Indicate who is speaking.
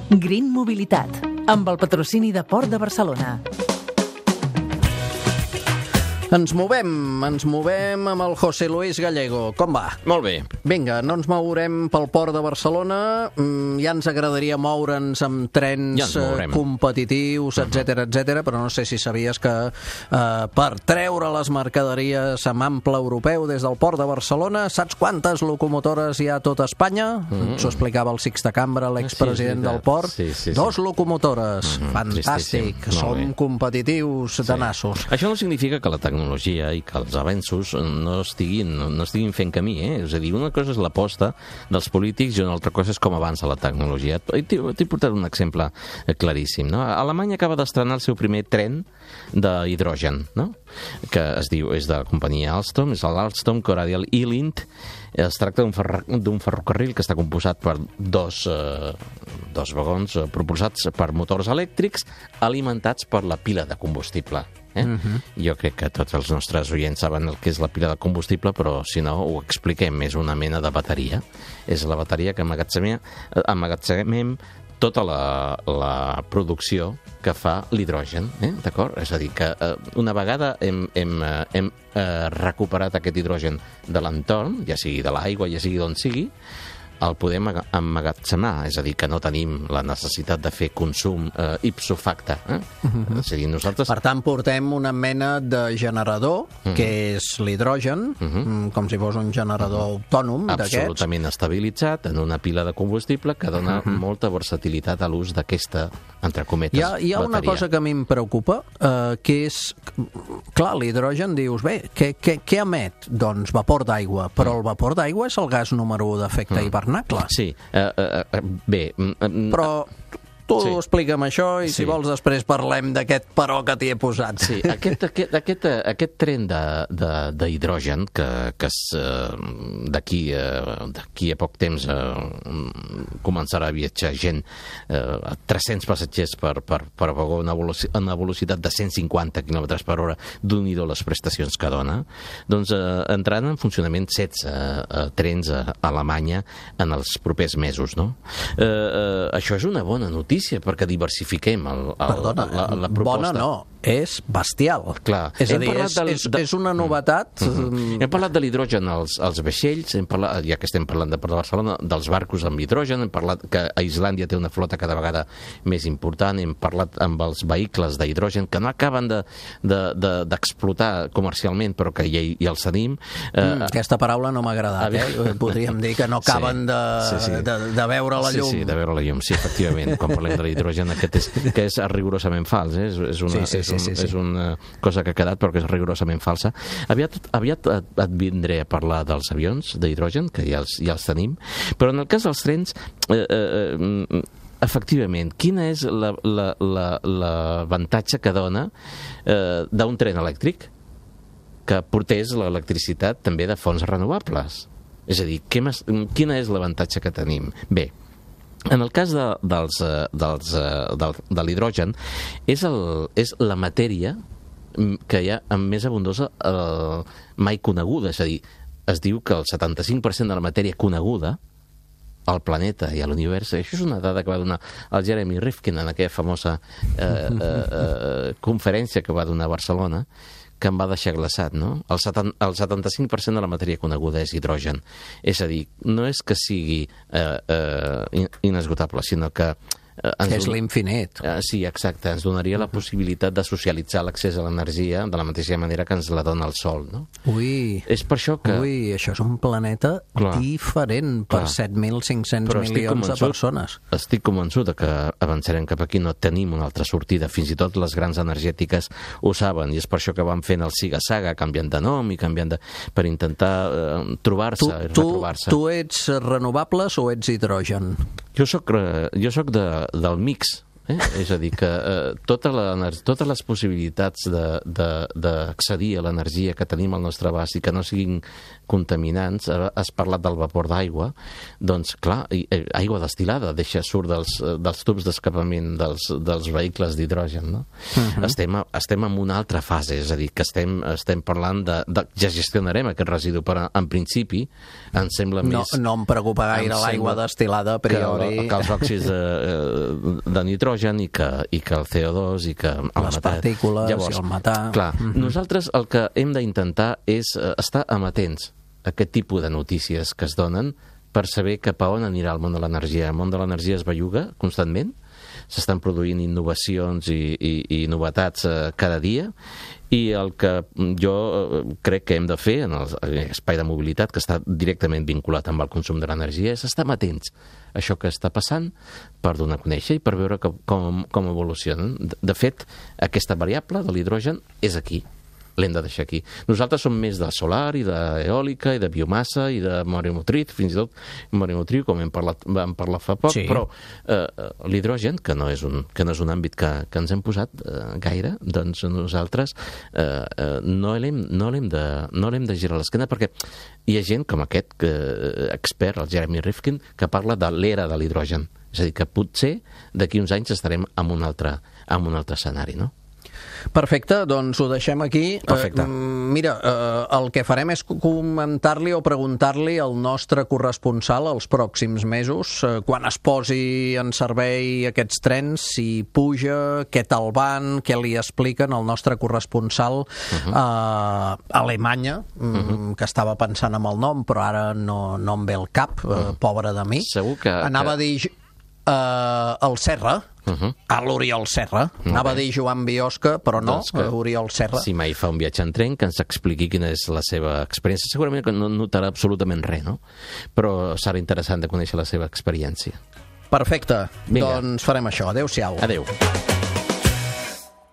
Speaker 1: Green Mobilitat, amb el patrocini de Port de Barcelona.
Speaker 2: Ens movem amb el José Luis Gallego. Com va?
Speaker 3: Molt bé.
Speaker 2: Vinga, no ens mourem pel Port de Barcelona. Ja ens agradaria moure'ns amb trens competitius, etc, però no sé si sabies que per treure les mercaderies amb ample europeu des del Port de Barcelona, saps quantes locomotores hi ha a tot Espanya? S'ho explicava el Sixte Cambra, l'expresident del Port. 2 locomotores. Fantàstic. Som competitius de nassos.
Speaker 3: Això no significa que la tecnologia i que els avenços no estiguin fent camí, És a dir, una cosa és l'aposta dels polítics i una altra cosa és com avança la tecnologia. T'he portat un exemple claríssim, no? Alemanya acaba d'estrenar el seu primer tren d'hidrogen, no? Que es diu, és de la companyia Alstom, és l'Alstom Corradial E-Lint. Es tracta d'un ferrocarril que està composat per dos vagons propulsats per motors elèctrics alimentats per la pila de combustible. Jo crec que tots els nostres oients saben el que és la pila de combustible, però si no ho expliquem, és una mena de bateria. És la bateria que emmagatzemem tota la producció que fa l'hidrogen, d'acord? És a dir, que una vegada hem recuperat aquest hidrogen de l'entorn, ja sigui de l'aigua, ja sigui d'on sigui, el podem emmagatzemar, és a dir, que no tenim la necessitat de fer consum ipso facto. És a dir, nosaltres...
Speaker 2: Per tant, portem una mena de generador, que és l'hidrogen, com si fos un generador autònom d'aquests.
Speaker 3: Absolutament estabilitzat en una pila de combustible que dona molta versatilitat a l'ús d'aquesta, entre cometes, bateria.
Speaker 2: Hi ha una cosa que a mi em preocupa, que és... Clar, l'hidrogen, dius, bé, què emet? Doncs vapor d'aigua, però el vapor d'aigua és el gas número 1 d'efecte hivernacle.
Speaker 3: Sí, bé...
Speaker 2: Però tu explica'm això i si vols després parlem d'aquest però que t'hi he posat.
Speaker 3: Sí, aquest tren d'hidrogen que d'aquí a poc temps començarà a viatjar gent, 300 passatgers per vagó, una velocitat de 150 km per hora, d'un-i-do les prestacions que dona, doncs entraran en funcionament 16 trens a Alemanya en els propers mesos, no? Això és una bona notícia, perquè diversifiquem la proposta.
Speaker 2: Bona no, és bestial.
Speaker 3: Clar.
Speaker 2: És a dir, és una novetat.
Speaker 3: Hem parlat de l'hidrogen als vaixells, ja que estem parlant de Port de Barcelona, dels barcos amb hidrogen, hem parlat que a Islàndia té una flota cada vegada més important, hem parlat amb els vehicles d'hidrogen que no acaben d'explotar comercialment, però que ja els tenim.
Speaker 2: Aquesta paraula no m'ha agradat, podríem dir que no acaben de veure la llum.
Speaker 3: Sí, de veure la llum, sí, efectivament. Quan parlem de l'hidrogen, que és rigorosament fals, és una cosa que ha quedat però que és rigorosament falsa. Aviat et vindré a parlar dels avions d'hidrogen, que ja els tenim, però en el cas dels trens, efectivament, quina és l'avantatge que dona d'un tren elèctric que portés l'electricitat també de fonts renovables? És a dir, quina és l'avantatge que tenim? Bé, en el cas de l'hidrogen, és la matèria que hi ha amb més abundosa mai coneguda. És a dir, es diu que el 75% de la matèria coneguda al planeta i a l'univers, això és una dada que va donar el Jeremy Rifkin en aquella famosa conferència que va donar a Barcelona, que em va deixar glaçat, no? El 75% de la matèria coneguda és hidrogen. És a dir, no és que sigui inesgotable, sinó que
Speaker 2: és l'infinit.
Speaker 3: Sí, exacte. Ens donaria la possibilitat de socialitzar l'accés a l'energia de la mateixa manera que ens la dona el Sol, no? És per això que...
Speaker 2: això és un planeta diferent per 7.500 milions de persones.
Speaker 3: Estic convençut que avançarem cap aquí, no tenim una altra sortida. Fins i tot les grans energètiques ho saben, i és per això que van fent el siga-saga, canviant de nom i canviant per intentar trobar-se i retrobar-se.
Speaker 2: Tu ets renovables o ets hidrogen?
Speaker 3: Jo soc del mix És a dir, que totes les possibilitats d'accedir a l'energia que tenim al nostre abast i que no siguin contaminants, has parlat del vapor d'aigua, doncs clar, aigua destilada surt dels tubs d'escapament dels vehicles d'hidrogen, no? Estem en una altra fase, és a dir, que estem parlant ja gestionarem aquest residu, però en principi em sembla més...
Speaker 2: No em preocupa gaire l'aigua destilada a priori.
Speaker 3: Que els òxids de nitrogen i que el CO2 i que
Speaker 2: les partícules i el metà.
Speaker 3: Clar, nosaltres el que hem d'intentar és estar amatents a aquest tipus de notícies que es donen per saber cap a on anirà el món de l'energia. El món de l'energia es belluga constantment, s'estan produint innovacions i novetats cada dia, i el que jo crec que hem de fer en l'espai de mobilitat, que està directament vinculat amb el consum de l'energia, és estar atents a això que està passant per donar a conèixer i per veure com evolucionen. De fet, aquesta variable de l'hidrogen és aquí. L'hem de deixar aquí. Nosaltres som més de solar i d'eòlica i de biomassa i de mareomotriu, fins i tot mareomotriu, com vam parlar fa poc, sí. Però l'hidrogen, que no és un àmbit que ens hem posat gaire, doncs nosaltres no l'hem de girar l'esquena, perquè hi ha gent com aquest expert, el Jeremy Rifkin, que parla de l'era de l'hidrogen. És a dir, que potser d'aquí uns anys estarem en un altre escenari, no?
Speaker 2: Perfecte, doncs ho deixem aquí.
Speaker 3: Perfecte.
Speaker 2: Mira, el que farem és comentar-li o preguntar-li al nostre corresponsal els pròxims mesos, quan es posi en servei aquests trens, si puja, què tal van, què li expliquen al nostre corresponsal a Alemanya, que estava pensant en el nom, però ara no em ve el cap, pobre de mi.
Speaker 3: Segur que...
Speaker 2: Anava a dir el Serra, a l'Oriol Serra. Anava a dir Joan Biosca, però no, Oriol Serra.
Speaker 3: Si mai fa un viatge en tren, que ens expliqui quina és la seva experiència. Segurament que no notarà absolutament res, no? Però serà interessant de conèixer la seva experiència.
Speaker 2: Perfecte. Vinga. Doncs farem això. Adéu-siau.
Speaker 3: Adéu.